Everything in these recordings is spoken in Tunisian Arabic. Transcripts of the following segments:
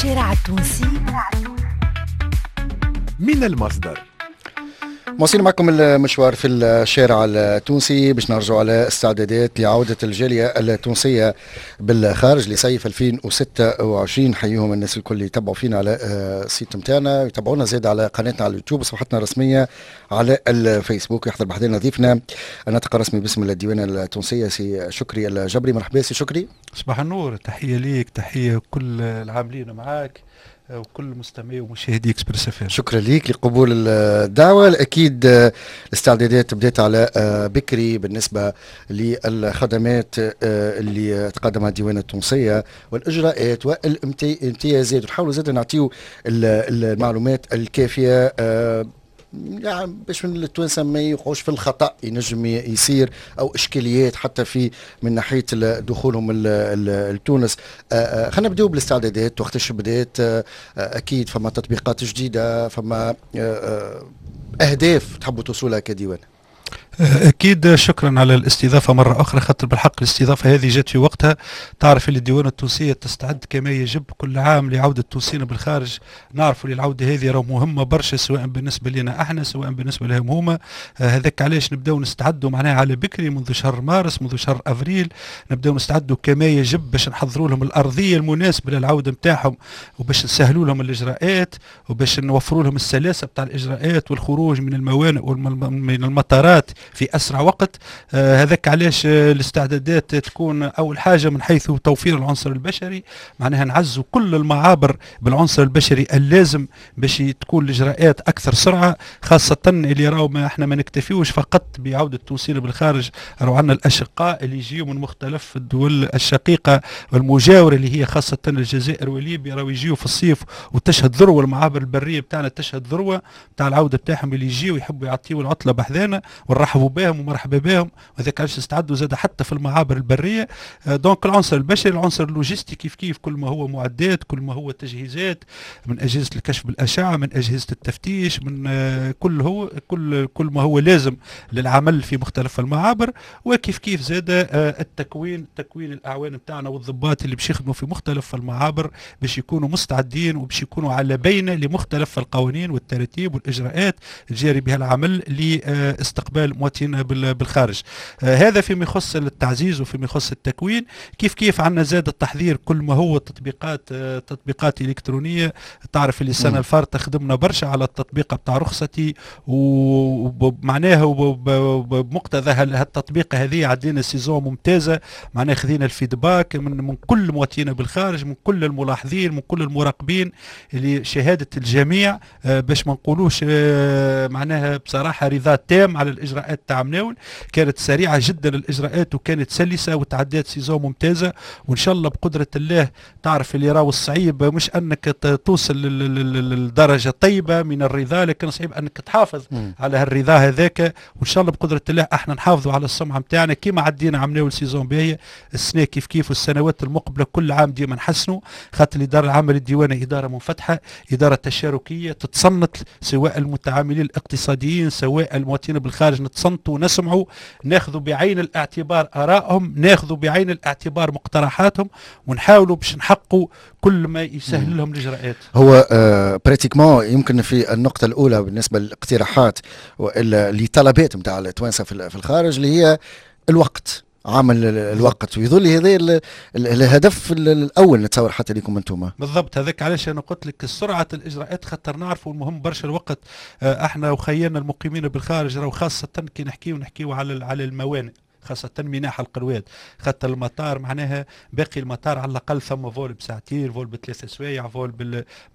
الشارع التونسي من المصدر. مواصلين معكم المشوار في الشارع التونسي باش نرجعوا على استعدادات لعودة الجالية التونسية بالخارج لصيف 2026. نحييهم الناس الكل اللي يتبعوا فينا على ال site نتاعنا، يتبعونا زاد على قناتنا على اليوتيوب وصفحتنا الرسمية على الفيسبوك. يحضر بحذانا ضيفنا الناطق الرسمي باسم الديوانة التونسية سي شكري الجبري. مرحبا سي شكري. صباح النور، تحية ليك، تحية كل العاملين معاك وكل مستمعي ومشاهدي اكسبريس اف. شكرا لك لقبول الدعوة. اكيد الاستعدادات بدات على بكري بالنسبة للخدمات اللي تقدمها الديوانه التونسية والاجراءات والامتيازات، ونحاولوا زاد نعطيو المعلومات الكافيه يعني باش من التوانسة ما يوقعوش في الخطا ينجم يصير او اشكاليات حتى في من ناحية دخولهم لتونس. خلينا نبداو بالاستعدادات، وقتاش بدات؟ اكيد فما تطبيقات جديده، فما اهداف تحبوا توصلها كديوان. اكيد، شكرا على الاستضافة مرة اخرى، خاطر بالحق الاستضافة هذه جات في وقتها. تعرف اللي الديوان التونسية تستعد كما يجب كل عام لعودة التونسيين بالخارج. نعرفوا اللي العودة هذه راه مهمة برشا، سواء بالنسبة لنا احنا سواء بالنسبة لهم هما. هذاك علاش نبداو نستعدوا معناها على بكري، منذ شهر مارس، منذ شهر افريل نبداو نستعدوا كما يجب باش نحضروا لهم الارضية المناسبة للعودة نتاعهم، وباش نسهلوا لهم الاجراءات، وباش نوفروا لهم السلاسة بتاع الاجراءات والخروج من الموانئ ومن المطارات في اسرع وقت. هذاك علاش الاستعدادات تكون اول حاجة من حيث توفير العنصر البشري، معناها نعزوا كل المعابر بالعنصر البشري اللازم باش تكون الاجراءات اكثر سرعه، خاصة اللي راهو ما احنا ما نكتفيوش فقط بعوده التونسيين بالخارج، راهو عندنا الاشقاء اللي يجيو من مختلف الدول الشقيقة والمجاوره اللي هي خاصة الجزائر وليبيا، راهو يجيو في الصيف وتشهد ذروة المعابر البرية بتاعنا، تشهد ذروة بتاع العودة بتاعهم اللي يجيو يحبوا يعطيو العطلة بحذانا ونرحبوا بهم ومرحبا بهم. وهذاك علاش نستعدوا زاد حتى في المعابر البريه. donc العنصر البشري، العنصر اللوجستي كيف كيف، كل ما هو معدات، كل ما هو تجهيزات من اجهزة الكشف بالاشعه، من اجهزة التفتيش، من كل هو كل كل ما هو لازم للعمل في مختلف المعابر. وكيف كيف زاد التكوين، تكوين الاعوان بتاعنا والضباط اللي باش يخدموا في مختلف المعابر باش يكونوا مستعدين وباش يكونوا على بينه لمختلف القوانين والتراتيب والاجراءات الجاري بها العمل لاستقبال مواطنينا بالخارج. هذا فيما يخص التعزيز وفيما يخص التكوين. كيف كيف عندنا زاد التحضير كل ما هو تطبيقات، تطبيقات الكترونيه. تعرف اللي السنة الفارطه خدمنا برشا على التطبيق بتاع رخصتي، ومعناها بمقتضى هالتطبيق هذه عدينا saison ممتازه، معناها خذينا ال feedback من كل مواطنينا بالخارج، من كل الملاحظين، من كل المراقبين، اللي شهادة الجميع باش ما نقولوش معناها بصراحة رضا تام على الاجراءات تاع مناول. كانت سريعة جدا الاجراءات وكانت سلسه وتعدات saison ممتازه، وان شاء الله بقدره الله. تعرف اللي راهو الصعيب مش انك توصل للدرجة طيبة من الرضا، لكن صعيب انك تحافظ على هالرضا هذاك. وان شاء الله بقدره الله احنا نحافظوا على السمعة نتاعنا كيما عدينا عملناو saison باهيه، السنة كيف كيف والسنوات المقبلة كل عام ديما نحسنوا، خاطر الادارة العامة للديوانه ادارة منفتحه، ادارة تشاركيه تتصنت سواء المتعاملين الاقتصاديين سواء المواطنين بالخارج، نتصنتوا ونسمعوا، ناخذوا بعين الاعتبار ارائهم، ناخذوا بعين الاعتبار مقترحاتهم، ونحاولوا باش نحققوا كل ما يسهل لهم الاجراءات. هو pratiquement يمكن في النقطة الاولى بالنسبة للاقتراحات والا لطلبات نتاع التوانسة في الخارج اللي هي الوقت، عامل الوقت، ويظل هذا الهدف الاول نتصور حتى لكم انتم. بالضبط، هذاك علاش انا قلت لك سرعة الاجراءات، خاطر نعرفوا المهم برشا الوقت. احنا وخيانا المقيمين بالخارج راهو خاصة كي نحكيو على الموانئ، خاصة ميناء حلق الواد، خاطر المطار معناها باقي المطار على الأقل ثم vol بساعتين، vol ب3 سوايع، vol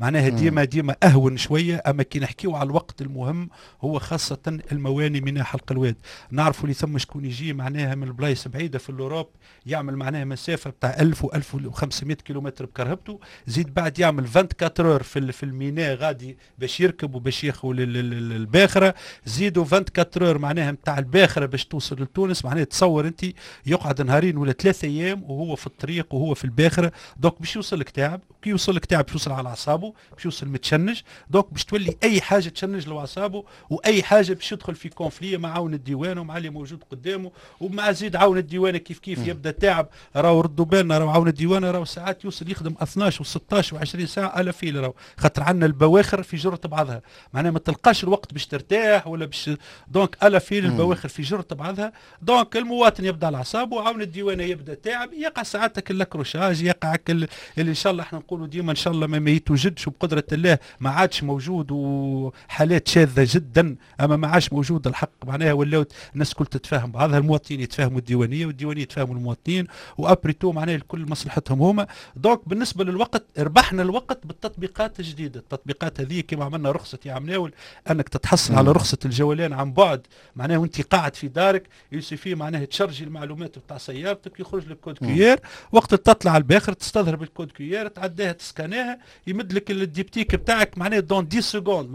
معناها ديما ديما أهون شوية. أما كي نحكيو على الوقت المهم هو خاصة المواني ميناء حلق الواد. نعرفوا اللي ثم شكون يجي معناها من البلايص بعيدة في l'Europe، يعمل معناها مسافة بتاع 1000 و 1500 كيلومتر بكرهبته، زيد بعد يعمل 24 heures في الميناء غادي باش يركب وباش ياخذ الباخرة، زيدوا 24 heures معناها نتاع الباخرة باش توصل لتونس، معناها تصور انت يقعد نهارين ولا 3 ايام وهو في الطريق وهو في الباخره، donc باش يوصل لك تعب. كي يوصل لك تعب باش يوصل على اعصابه، باش يوصل متشنج، donc باش تولي اي حاجة تشنج له اعصابه، واي حاجة باش يدخل في conflit مع عون الديوان ومع اللي موجود قدامه، ومع زيد عون الديوانه كيف كيف يبدا تعب. راهو ردوا بالنا، راهو عون الديوانه راهو ساعات يوصل يخدم 12 و16 و20 ساعة à la file، راهو خاطر عندنا البواخر في جرة بعضها، معناها ما تلقاش الوقت باش ترتاح ولا باش، donc à la file البواخر في جرة بعضها، donc المواطن يبدا على اعصابه، وعون الديوانه يبدا تعب، يقع ساعات l'accrochage، يقع اللي ان شاء الله احنا نقولوا ديما ان شاء الله ما يتوجدش، وبقدره الله ما عادش موجود، وحالات شاذة جدا، اما ما عادش موجود الحق. معناها ولاو الناس الكل تتفاهم بعضها، المواطنين يتفاهموا الديوانيه والديوانيه يتفاهموا المواطنين، و après tout معناها الكل مصلحتهم هما. donc بالنسبة للوقت ربحنا الوقت بالتطبيقات الجديده. التطبيقات هذه كما عملنا رخصه يا عمناول، انك تتحصل على رخصه الجولان عن بعد، معناها وانت قاعد في دارك il suffit معناها تشرجي المعلومات بتاع سيارتك، يخرج لك code QR. وقت تطلع الباخر تستظهر بال code QR، تعديها تسكاناها، يمد لك ال diptyque بتاعك معناها dans 10 secondes.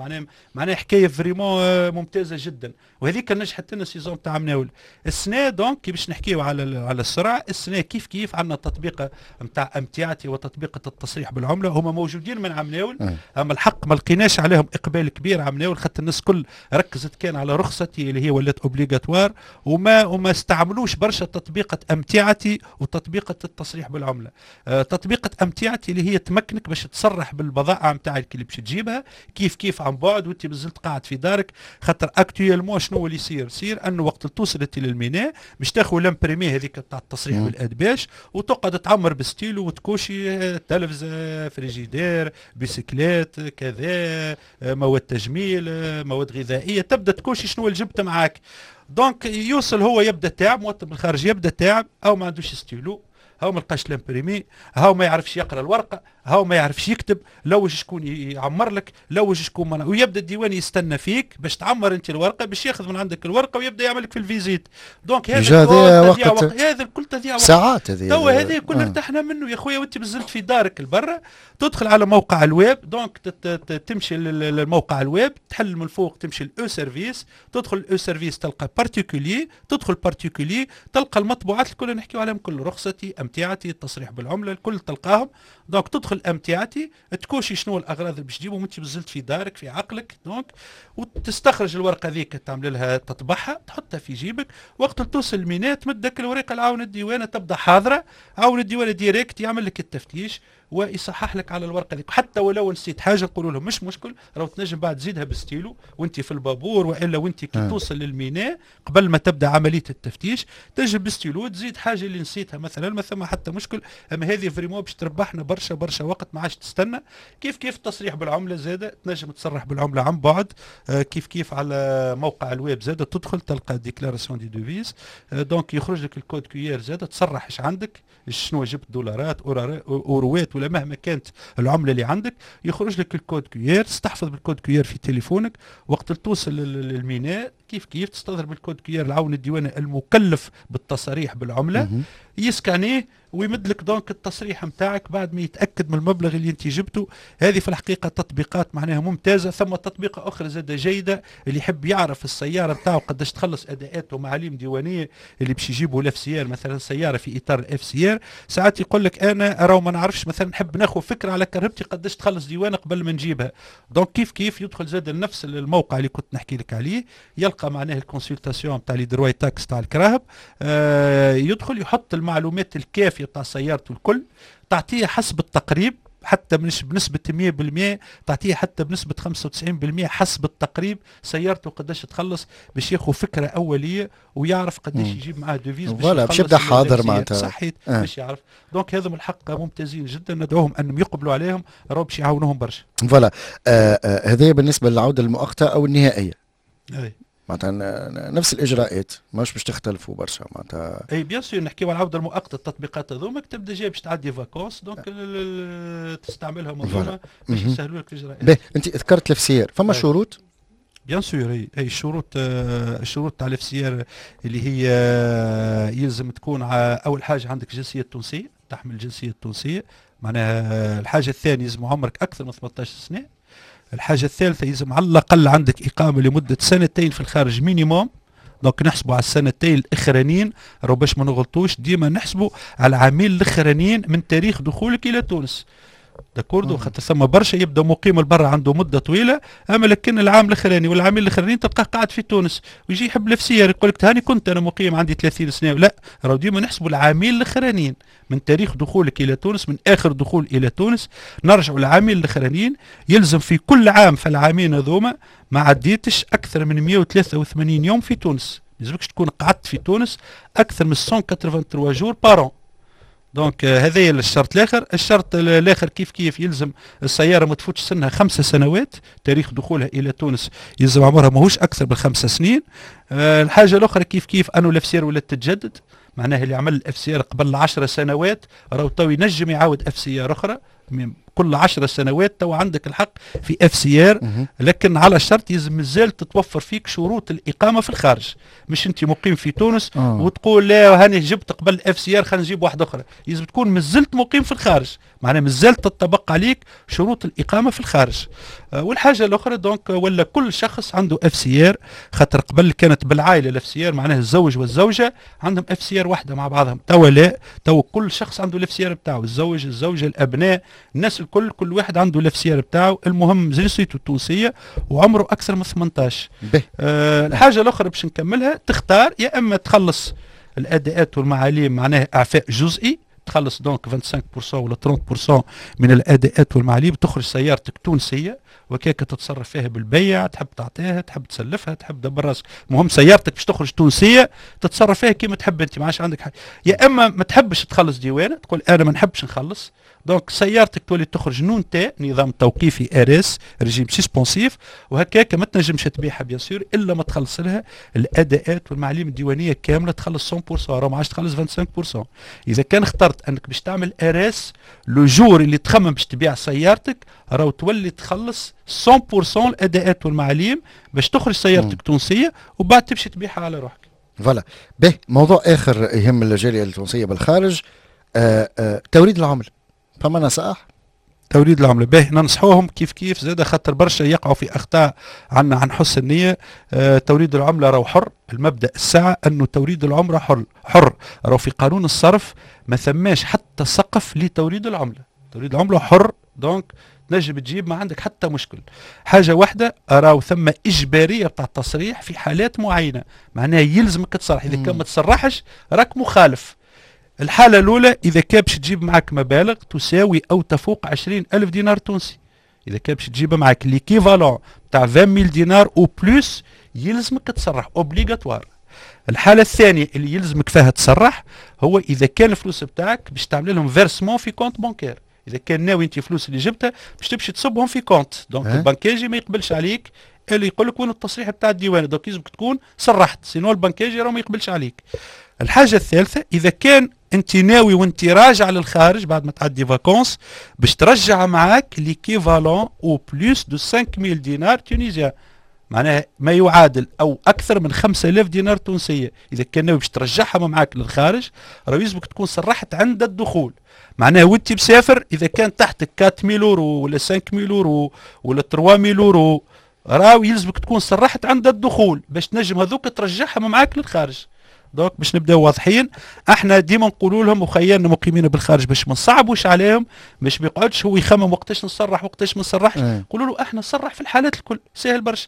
معناها حكاية vraiment ممتازة جدا، وهذيك نجحت لنا saison تاع مناول. السنة donc كي باش نحكيو على السرعه، السنة كيف كيف عندنا تطبيقه نتاع امتعتي وتطبيقه التصريح بالعمله، هما موجودين من عمناول، اما الحق ما لقيناش عليهم اقبال كبير عمناول، خاطر الناس كل ركزت كان على رخصتي اللي هي ولات obligatoire، وما استعملوش برشا تطبيقه امتعتي وتطبيقه التصريح بالعمله. تطبيقه امتعتي اللي هي تمكنك باش تصرح بالبضائع نتاعك اللي باش تجيبها كيف كيف عن بعد وانت مازلت قاعد في دارك. خاطر actuellement شنو اللي يصير؟ يصير انه وقت توصل انت للميناء باش تاخذ l'imprimé هذيك تاع التصريح بالادباش، وتقعد تعمر بستيلو وتكوشي تلفزه، frigidaire، bicyclette، كذا، مواد تجميل، مواد غذائيه، تبدا تكوشي شنو اللي جبت معاك. donc يوصل هو يبدا تعب، مواطن بالخارج يبدا تعب، او ما عندوش ستيلو، هاو ما لقاش l'imprimé، هاو ما يعرفش يقرا الورقه، هاو ما يعرفش يكتب، لوج شكون يعمر لك، لوج شكون من... ويبدا الديوان يستنى فيك باش تعمر انت الورقه، باش ياخذ من عندك الورقة ويبدا يعمل لك في ال visite. donc هذا وقت، هذا الكل تضيع وقت. ساعات هذه. توا هذه كل ارتحنا منه يا خويا، وانت مازلت في دارك البرة تدخل على موقع الويب، donc تمشي للموقع الويب، تحل من الفوق، تمشي ال e-service، تدخل ال e-service تلقى particulier، تدخل particulier تلقى المطبوعات الكل نحكيو عليهم كل، رخصتي، امتعتي، التصريح بالعمله، الكل تلقاهم. donc تدخل امتعتي، تكوشي شنو الاغراض اللي باش تجيبهم وانت مازلت في دارك في عقلك، donc وتستخرج الورقة ذيك، تعمل لها تطبعها، تحطها في جيبك. وقت توصل الميناء تمدك الورقة العون الديوانه، تبدا حاضره، عون الديوانه direct يعمل لك التفتيش ويصحح لك على الورقة ذيك. حتى ولو نسيت حاجة نقولوا لهم مش مشكل، راهو تنجم بعد تزيدها بستيلو وانت في البابور، والا وانت كي توصل للميناء قبل ما تبدا عملية التفتيش تنجم بستيلو تزيد حاجة اللي نسيتها مثلا، ما ثم حتى مشكل. اما هذه vraiment باش تربحنا برشا برشا وقت، ما عادش تستنى. كيف كيف التصريح بالعملة زاده، تنجم تصرح بالعملة عن بعد، كيف كيف على موقع الويب زاده، تدخل تلقى déclaration des devises، donc يخرج لك ال code QR زاده، تصرح ايش عندك، شنو جبت، دولارات، اوروات، ولا مهما كانت العملة اللي عندك، يخرج لك ال code QR، تستحفظ بال code QR في تليفونك. وقت توصل للميناء كيف كيف تستظهر بال code QR العون الديواني المكلف بالتصاريح بالعمله، يسكانيه ويمد لك donc التصريح نتاعك بعد ما يتاكد من المبلغ اللي انت جبته. هذه في الحقيقة تطبيقات معناها ممتازه. ثم تطبيقه اخرى زاده جيده، اللي يحب يعرف السيارة نتاعو قداش تخلص اداءات ومعاليم ديوانيه، اللي باش يجيبوا ال FCR مثلا، سيارة في اطار ال FCR، ساعات يقول لك انا راهو ما نعرفش، مثلا نحب ناخذ فكرة على كرهبتي قداش تخلص ديوانه قبل ما نجيبها. donc كيف كيف يدخل زاد نفس الموقع اللي كنت نحكي لك عليه، يلقى معناه ال consultation تاع les droits taxes تاع الكراهب، يدخل يحط المعلومات الكافيه تاع سيارته الكل، تعطيه حسب التقريب، حتى مش بنسبة 100%، تعطيه حتى بنسبة 95% حسب التقريب سيارته قداش تخلص، باش ياخذ فكرة أولية ويعرف قداش يجيب معاه devises. باش voilà باش يبدا حاضر معناتها. صحيت، باش يعرف. donc هذا من الحق ممتازين جدا، ندعوهم أنهم يقبلوا عليهم، راهو باش يعاونوهم برشا. voilà، هذا بالنسبة للعودة المؤقتة أو النهائية. أي. معناتها نفس الاجراءات، ماش باش تختلفوا برشا معناتها. اي bien sûr، نحكيو على العودة المؤقته، التطبيقات هذوما تبدا جاي باش تعدي vacances، donc تستعملها منظومة باش يسهلوا لك الاجراءات. باهي، انت ذكرت ال FCR، فما شروط؟ bien sûr، اي الشروط، الشروط تاع ال FCR اللي هي يلزم تكون اول حاجة عندك جنسية تونسيه، تحمل الجنسية التونسيه. معناها الحاجة الثانية يلزم عمرك اكثر من 18 سنه. الحاجة الثالثة يلزم على الاقل عندك اقامه لمدة سنتين في الخارج minimum. donc نحسبوا على السنتين الاخرانيين، راهو باش ما نغلطوش ديما نحسبوا على العامين الاخرانيين من تاريخ دخولك الى تونس. d'accord، خاطر ثم برشا يبدا مقيم البرا عنده مده طويله، اما لكن العام الاخراني والعامين الاخرانيين تلقاه قاعد في تونس ويجي يحب ال FCR يقول لك هاني كنت انا مقيم عندي 30 سنه. لا، راهو ديما نحسبوا العامين الاخرانيين من تاريخ دخولك الى تونس، من اخر دخول الى تونس نرجعوا العامين الاخرانيين. يلزم في كل عام في العامين هذوما ما عديتش اكثر من 183 يوم في تونس، لازمكش تكون قعدت في تونس اكثر من 183 jours par an. donc هذا الشرط الاخر. الشرط الاخر كيف كيف يلزم السيارة ما تفوتش سنها 5 سنوات، تاريخ دخولها الى تونس يلزم عمرها ماهوش اكثر من 5 سنين. الحاجة الاخرى كيف كيف انه ال FCR ولات تتجدد، معناها اللي عمل ال FCR قبل 10 سنوات راهو تو ينجم يعاود FCR اخرى. كل 10 سنوات تو عندك الحق في FCR، لكن على شرط يلزم مازال تتوفر فيك شروط الاقامة في الخارج، مش انت مقيم في تونس وتقول لا هاني جبت قبل FCR خلينا نجيب واحدة اخرى. لازم تكون مازلت مقيم في الخارج، معناها مازالت تطبق عليك شروط الاقامة في الخارج. والحاجة الاخرى donc ولا كل شخص عنده FCR، خاطر قبل كانت بالعائلة ال FCR، معناها الزوج والزوجة عندهم FCR واحدة مع بعضهم. توا لا، توا كل شخص عنده ال FCR بتاعه، الزوج، الزوجه، الابناء، الناس الكل، كل واحد عنده ال FCR بتاعه، المهم جنسيته التونسية وعمره اكثر من 18. الحاجة الاخرى باش نكملها، تختار يا اما تخلص الاداءات والمعاليم، معناها اعفاء جزئي، تخلص donc 25% ولا 30% من الاداءات والمعاليم، تخرج سيارتك تونسية وكيك تتصرف فيها بالبيع، تحب تعطيها، تحب تسلفها، تحب دبر راسك، المهم سيارتك باش تخرج تونسية تتصرف فيها كيما تحب انت، ما عادش عندك حاجه. يا اما ما تحبش تخلص ديوانه، تقول انا ما نحبش نخلص، donc سيارتك تولي تخرج non T، نظام توقيفي RS، régime suspensif، وهكاك ما تنجمش تبيعها bien sûr الا ما تخلص لها الاداءات والمعاليم الديوانيه كامله، تخلص 100%، راه ما عادش تخلص 25%. اذا كان اخترت انك باش تعمل RS، le jour اللي تخمم باش تبيع سيارتك راهو تولي تخلص 100% الاداءات والمعاليم باش تخرج سيارتك تونسية وبعد تمشي تبيعها على روحك. voilà. به، موضوع اخر يهم الجالية التونسية بالخارج، توريد العملة، فما نصائح؟ توريد العملة، باهي، ننصحوهم كيف كيف زاد خاطر برشا يقعوا في اخطاء عنا عن حسن النيه. توريد العملة راهو حر، المبدا الساعة انه توريد العملة حر حر، راهو في قانون الصرف ما ثماش حتى سقف لتوريد العمله. توريد العملة حر، donc تنجم تجيب، ما عندك حتى مشكل. حاجة واحده، راهو ثم اجباريه بتاع التصريح في حالات معينه، معناها يلزمك تصرح، اذا كان ما تصرحش راك مخالف. الحالة الأولى إذا كان باش تجيب معك مبالغ تساوي أو تفوق 20 ألف دينار تونسي، إذا كان باش تجيب معك l'équivalent تاع 20,000 دينار ou plus يلزمك تصرح، obligatoire. الحالة الثانية اللي يلزمك فيها تصرح هو إذا كان الفلوس بتاعك باش تعمل لهم versement في compte bancaire، إذا كان ناوي أنت فلوس اللي جبتها باش تمشي تصبهم في compte، donc البنكاجي ما يقبلش عليك، اللي يقول لك وين التصريح بتاع الديوان، donc لازمك تكون صرحت، sinon البنكاجي راه ما يقبلش عليك. الحاجة الثالثة إذا كان انت ناوي وانت راجع للخارج بعد ما تعدي vacances باش ترجع معاك l'équivalent ou plus de 5000 دينار tunisiens، معناها ما يعادل او اكثر من 5000 دينار تونسيه، اذا كان ناوي باش ترجعها معاك للخارج راه يلزمك تكون صرحت عند الدخول. معناها وانت مسافر اذا كان تحتك 4000 اورو ولا 5000 اورو ولا 3000 اورو راهو يلزمك تكون صرحت عند الدخول باش تنجم هذوك ترجعهم معاك للخارج. donc باش نبداو واضحين، احنا ديما نقولوا لهم وخيالنا مقيمين بالخارج باش ما نصعبوش عليهم، باش ما يقعدش هو يخمم وقتاش نصرح وقتاش ما نصرحش. نقولوا له احنا صرح في الحالات الكل، سهل برشا،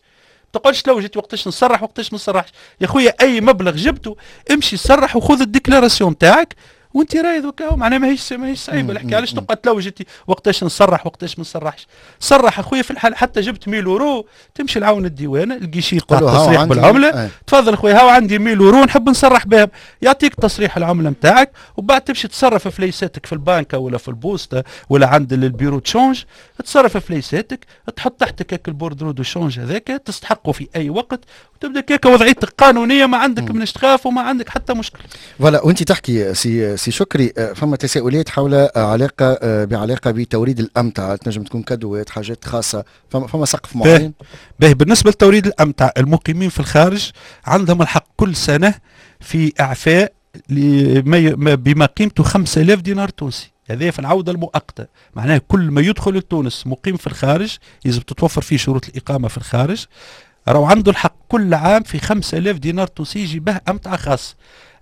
تقعدش لو جيت وقتاش نصرح وقتاش ما نصرحش. يا خويا اي مبلغ جبته امشي صرح وخذ ال déclaration تاعك وانت رايض وكاهو، معناها ماهيش صعيبة الحكايه. علاش تقعد تلوج انت وقتاش نصرح وقتاش ما نصرحش؟ صرح اخويا في الحال، حتى جبت 1000 اورو تمشي لعون الديوانه، ال guichet تاع التصريح بالعمله، تفضل اخويا هاو عندي 1000 اورو نحب نصرح بهم، يعطيك تصريح العملة نتاعك وبعد تمشي تصرف فليساتك في البنك ولا في البوسطه ولا عند ال bureau de change، تصرف فليساتك، تحط تحتك هاك ال bordereau de change هذاك تستحقه في اي وقت وتبدا كيكا وضعيتك قانونيه، ما عندك منش تخاف وما عندك حتى مشكل. voilà، وانت تحكي سي شكري فما تساؤلات حول علاقة بعلاقة بتوريد الامتعه، تنجم تكون cadeau ات، حاجات خاصه، فما سقف معين؟ باهي، بالنسبة لتوريد الامتعه، المقيمين في الخارج عندهم الحق كل سنة في اعفاء بما قيمته 5000 دينار تونسي، هذا في العودة المؤقتة. معناها كل ما يدخل لتونس مقيم في الخارج يجب تتوفر فيه شروط الإقامة في الخارج، راهو عنده الحق كل سنة في إعفاء 5000 دينار. كل عام في 5000 دينار تونسي يجيبه امتعه خاص.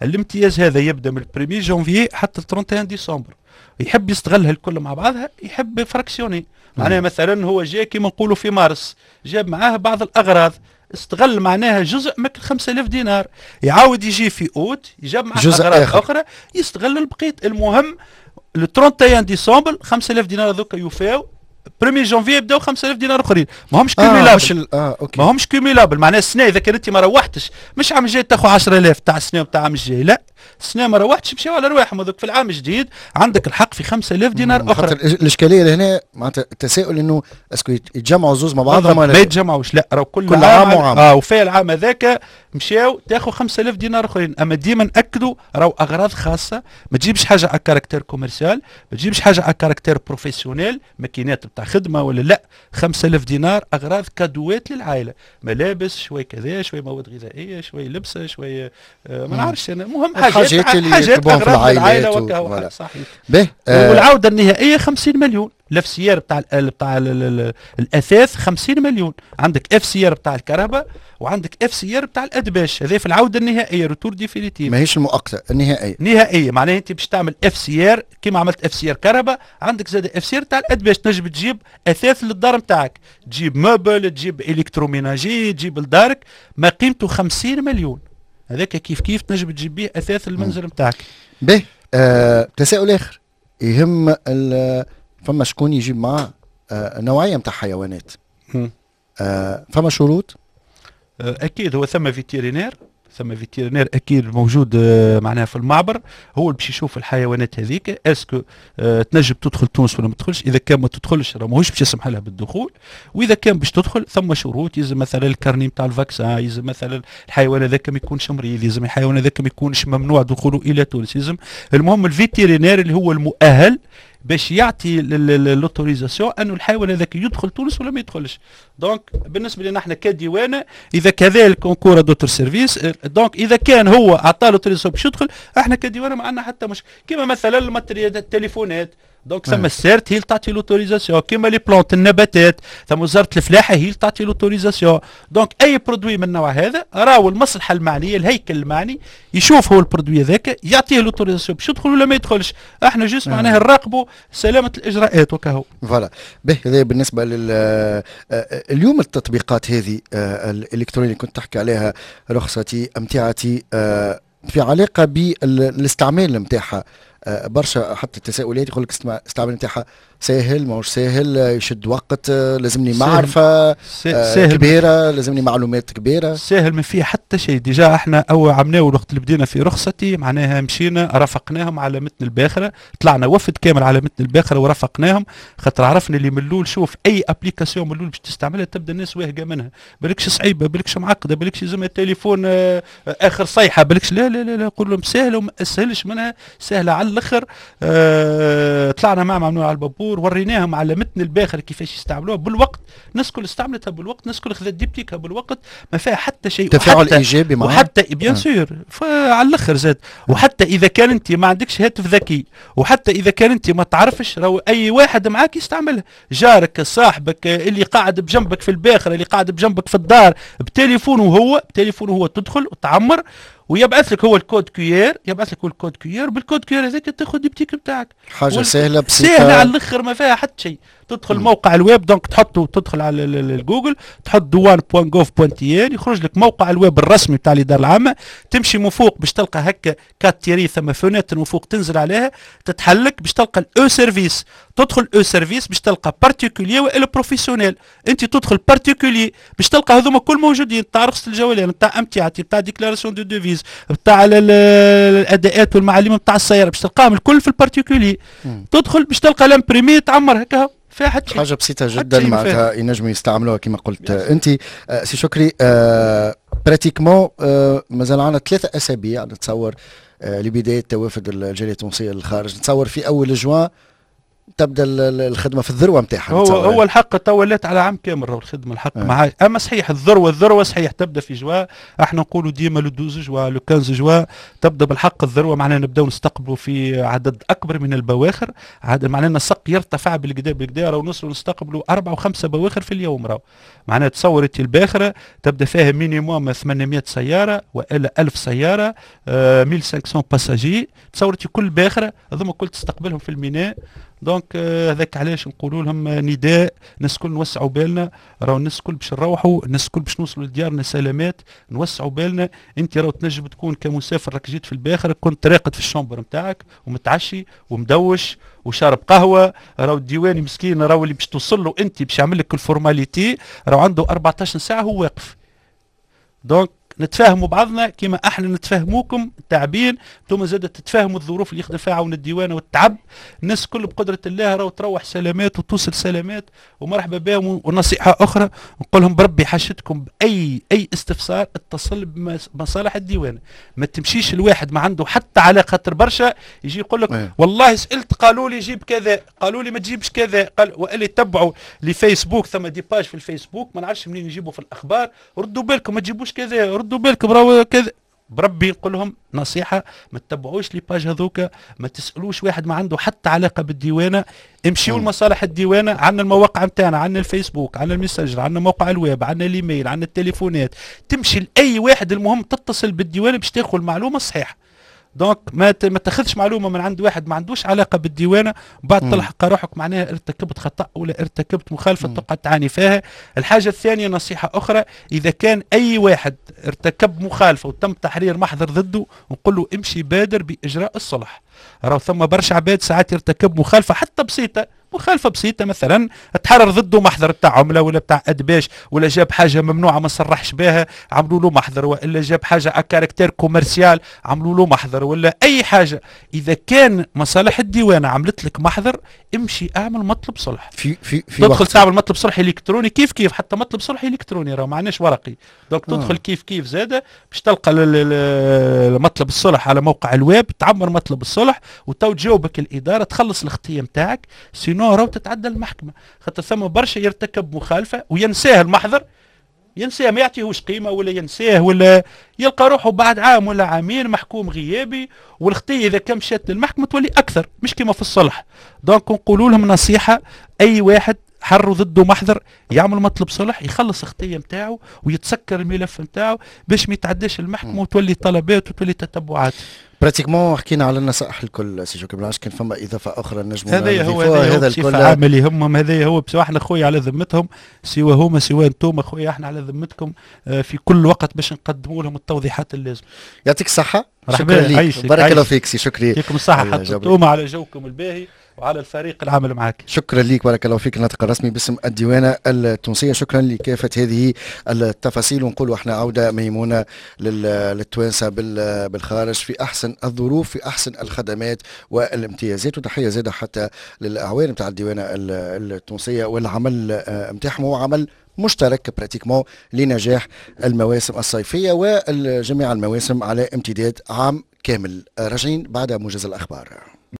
الامتياز هذا يبدا من 1 جانفي حتى 31 ديسمبر. يحب يستغلها الكل مع بعضها، يحب fractionner. معناها مثلا هو جاي كيما نقولوا في مارس، جاب معاه بعض الاغراض، استغل معناها جزء من 5000 دينار، يعاود يجي في اوت يجاب معاه اغراض اخرى، يستغل البقية. المهم le 31 ديسمبر 5000 دينار هذوك يوفاو، 1 جانفي يبداو 5000 دينار اخرين. ما همش cumulables. OK. ما همش cumulables، معناها السنة اذا كان انت ما روحتش مش عام الجاي تاخذ 10000 تاع السنة وتاع العام الجاي، لا، السنة ما روحتش مشاو على رواحهم هذوك، في العام الجديد عندك الحق في 5000 دينار اخرى. الاشكالية لهنا معناتها التساؤل انه est-ce que يتجمعوا زوز مع بعضهم ولا ما يتجمعوش؟ لا، راهو كل عام وعام. وفي العام هذاك مشاو تاخذ 5000 دينار اخرين. اما ديما ناكدوا راهو اغراض خاصه، ما تجيبش حاجة à caractère commercial، ما تجيبش حاجة à caractère professionnel، ماكينات بتاع خدمة ولا لا. 5000 دينار اغراض cadeau ات للعائله، ملابس شوي، كذا شوي، مواد غذائية شوي، لبسه شوي، ما نعرفش انا، المهم حاجات حاجات في العائلة وكهو. صحيح. به والعودة النهائية 50 مليون. ال FCR بتاع الاثاث 50 مليون، عندك FCR بتاع الكرهبة وعندك FCR بتاع الادباش. هذا في العودة النهائيه، retour définitif. ماهيش المؤقته، النهائيه. نهائيه، معناها انت باش تعمل FCR كيما عملت FCR كرهبة، عندك زاد FCR تاع الادباش. تنجم تجيب اثاث للدار نتاعك، تجيب meuble، تجيب électroménager، تجيب لدارك ما قيمته 50 مليون، هذاك كيف كيف تنجم تجيب به اثاث المنزل نتاعك. به تساؤل اخر يهم، فما شكون يجيب معاه نوعية نتاع حيوانات، فما شروط؟ اكيد، هو ثم vétérinaire، ثم vétérinaire اكيد موجود معناها في المعبر، هو اللي باش يشوف الحيوانات هذيك est-ce que تنجم تدخل تونس ولا ما تدخلش. اذا كان ما تدخلش راه ماهوش باش يسمح لها بالدخول، واذا كان باش تدخل ثم شروط، يلزم مثلا ال carnet نتاع ال vaccin، يلزم مثلا الحيوان هذاك ما يكونش مريض، يلزم الحيوان هذاك ما يكونش ممنوع دخوله الى تونس، يلزم المهم ال vétérinaire اللي هو المؤهل باش يعطي l'autorisation انه الحيوان هذاك يدخل تونس ولا ما يدخلش. donc بالنسبة لنا احنا كديوانه اذا كذلك concourt d'autres services، donc اذا كان هو اعطى l'autorisation باش يدخل، احنا كديوانه ما عندنا حتى مشكل. كيما مثلا ال matériel، التليفونات، donc ثم ال SERT هي اللي تعطي l'autorisation، كيما les plantes، النباتات، ثم وزارة الفلاحة هي اللي تعطي l'autorisation. donc اي produit من النوع هذا راهو المصلحة المعنيه، الهيكل المعني، يشوف هو ال produit هذاك يعطيه l'autorisation باش يدخل ولا ما يدخلش. احنا juste معناها نراقبوا سلامه الاجراءات وكهو. voilà. به هذا بالنسبة لل اليوم التطبيقات هذه الالكترونية اللي كنت تحكي عليها، رخصتي، امتعتي، في علاقة بالاستعمال نتاعها برشا حتى التساؤلات، يقول لك الاستعمال نتاعها ساهل ماهوش ساهل، يشد وقت، لازمني معرفة ساهل كبيره، لازمني معلومات كبيره. ساهل، ما فيه حتى شيء. déjà احنا اول عملناه الوقت اللي بدينا في رخصتي، معناها مشينا رافقناهم على متن الباخره، طلعنا وفد كامل على متن الباخرة ورافقناهم، خاطر عرفنا اللي من الاول، شوف، اي application من الاول باش تستعملها تبدا الناس واهقه منها، بالكش صعيبه، بالكش معقده، بالكش لازم التليفون اخر صيحه، بالكش. لا لا لا، لا، قول لهم سهلة وما اسهلش منها، سهلة على الاخر. طلعنا مع ممنوع على البابور، وريناهم على متن الباخر كيفاش يستعملوها بالوقت. الناس الكل استعملتها بالوقت، الناس الكل خذت diptyque ها بالوقت، ما فيها حتى شيء. تفاعل ايجابي معها. وحتى bien sûr على الاخر زاد. وحتى اذا كان انت ما عندكش هاتف ذكي، وحتى اذا كان انت ما تعرفش، راهو اي واحد معاك يستعملها، جارك، صاحبك، اللي قاعد بجنبك في الباخره، اللي قاعد بجنبك في الدار، بتليفونه هو، بتليفونه هو تدخل وتعمر ويبعث لك هو ال code QR، يبعث لك هو ال code QR، بال code QR هذاك تاخذ diptyque بتاعك. حاجة سهلة بسيطه. سهلة على الاخر، ما فيها حتى شيء. تدخل موقع الويب، donc تحطه، تدخل على الجوجل تحط douane.gov.tn، يخرج لك موقع الويب الرسمي بتاع الادارة العامه. تمشي من فوق باش تلقى هكا quatre tirets، ثم fenêtre من فوق، تنزل عليها تتحلك باش تلقى ال e-service. تدخل e-service باش تلقى particulier والا professionnel. انت تدخل particulier باش تلقى هذوما كل موجودين، تاع رخصه الجولان، تاع امتعتي، بتاع déclaration de devises، بتاع الاداءات والمعالم بتاع السياره، باش تلقاهم الكل في ال particulier. تدخل باش تلقى l'imprimé، تعمر هكا، فيها حتى حاجة بسيطة جدا، معناتها ينجموا يستعملوها كما قلت انت. سي شكري، pratiquement مازال عندنا 3 اسابيع نتصور لبداية توافد الجالية التونسية للخارج. نتصور في اول جوان تبدا الخدمة في الذروة نتاعها. هو الحق تو ولات على عام كامل راهو الخدمة الحق مع، اما صحيح الذروة صحيح تبدا في جوا، احنا نقولوا ديما le 12 juin le 15 جوا تبدا بالحق الذروة، معناها نبداو نستقبلوا في عدد اكبر من البواخر، عدد معناها النسق يرتفع بالكدا بالكدا، راهو نوصلوا نستقبلوا 4 و5 بواخر في اليوم. راهو معناها تصور انت الباخرة تبدا فيها minimum 800 سيارة والا 1000 سيارة، 1500 passagers، تصور انت كل باخره هذوما كل تستقبلهم في الميناء. donc هذاك علاش نقولوا لهم نداء، الناس الكل نوسعوا بالنا، راهو الناس الكل باش نروحوا، الناس الكل باش نوصلوا لديارنا سلامات، نوسعوا بالنا. انت راهو تنجم تكون كمسافر راك جيت في الباخرة كنت راقد في ال chambre نتاعك ومتعشي ومدوش وشارب قهوة، راهو الديواني مسكين راهو اللي باش توصل له انت باش يعمل لك ال formalité راهو عنده 14 ساعة هو واقف. donc نتفاهموا بعضنا كما احنا نتفاهموكم تعبين، انتم زاد تتفاهموا الظروف اللي يخدم فيها عون الديوانه والتعب. الناس كل بقدره الله راهو تروح سلامات وتوصل سلامات ومرحبا بهم. ونصيحة اخرى نقول لهم بربي حاجتكم باي اي استفسار اتصل بمصالح الديوانه، ما تمشيش الواحد ما عنده حتى علاقة، خاطر برشا يجي يقول لك والله سالت قالوا لي جيب كذا، قالوا لي ما تجيبش كذا، قال واللي تبعوا لفيسبوك ثم des pages في الفيسبوك ما نعرفش منين يجيبوا في الاخبار، ردوا بالكم ما تجيبوش كذا، ردوا بالكم راهو كذا. بربي نقول لهم نصيحة، ما تتبعوش les pages هذوك، ما تسالوش واحد ما عنده حتى علاقة بالديوانه، امشيوا لمصالح الديوانه، عندنا المواقع نتاعنا، عندنا الفيسبوك، عندنا الميسنجر، عندنا موقع الويب، عندنا الايميل، عندنا التليفونات، تمشي لاي واحد، المهم تتصل بالديوانه باش تاخذ المعلومة الصحيحة. donc ما تاخذش معلومة من عند واحد ما عندوش علاقة بالديوانه، بعد تلحق روحك معناها ارتكبت خطا ولا ارتكبت مخالفة تقعد تعاني فيها. الحاجة الثانية نصيحة اخرى، اذا كان اي واحد ارتكب مخالفة وتم تحرير محضر ضده نقول له امشي بادر باجراء الصلح. راهو ثم برشا عباد ساعات يرتكب مخالفة حتى بسيطة، مخالفة بسيطة مثلا تحرر ضده محضر بتاع عمله ولا بتاع ادباش، ولا جاب حاجة ممنوعة ما صرحش بها عملوا له محضر، والا جاب حاجة à caractère commercial عملوا له محضر، ولا اي حاجة. اذا كان مصالح الديوانه عملت لك محضر امشي اعمل مطلب صلح، في في في تدخل تعمل مطلب صلح الكتروني كيف كيف، حتى مطلب صلح الكتروني راه ما عندناش ورقي، donc تدخل كيف كيف زاده باش تلقى مطلب الصلح على موقع الويب، تعمر مطلب الصلح وتو تجاوبك الادارة، تخلص الخطية نتاعك، sinon راهو تتعدى المحكمة، خاطر ثم برشا يرتكب مخالفة وينساه المحضر، ينساه ما يعطيهوش قيمة ولا ينساه، ولا يلقى روحه بعد عام ولا عامين محكوم غيابي، والخطيه اذا كان مشات للمحكمة تولي اكثر، مش كما في الصلح. donc نقولوا لهم نصيحة، اي واحد حروا ضده محضر يعمل مطلب صلح، يخلص الخطية نتاعو ويتسكر الملف نتاعو باش ما يتعداش المحكمة وتولي طلبات وتولي تتبعات. pratiquement حكينا على النصائح الكل سي شكري، بالعكس كان فما اضافه اخرى نجموا هذا هو هذا الكل عامة اللي يهمهم، هذا هو بس احنا خويا على ذمتهم، سوى هما سوى انتم خويا، احنا على ذمتكم في كل وقت باش نقدموا لهم التوضيحات اللازمة. يعطيك الصحة، شكرا لك، بارك الله فيك سي شكري، يعطيكم الصحة حتى انتم على جوكم الباهي وعلى الفريق العامل معك. شكرا لك، بارك الله فيك، الناطق الرسمي باسم الديوانة التونسية، شكرا لكافة هذه التفاصيل. ونقول احنا عودة ميمونة للتوانسة بالخارج في أحسن الظروف، في أحسن الخدمات والامتيازات، وتحية زادة حتى للأعوان نتاع الديوانة التونسية والعمل نتاعهم، هو عمل مشترك pratiquement لنجاح المواسم الصيفية وجميع المواسم على امتداد عام كامل. راجعين بعد موجز الأخبار.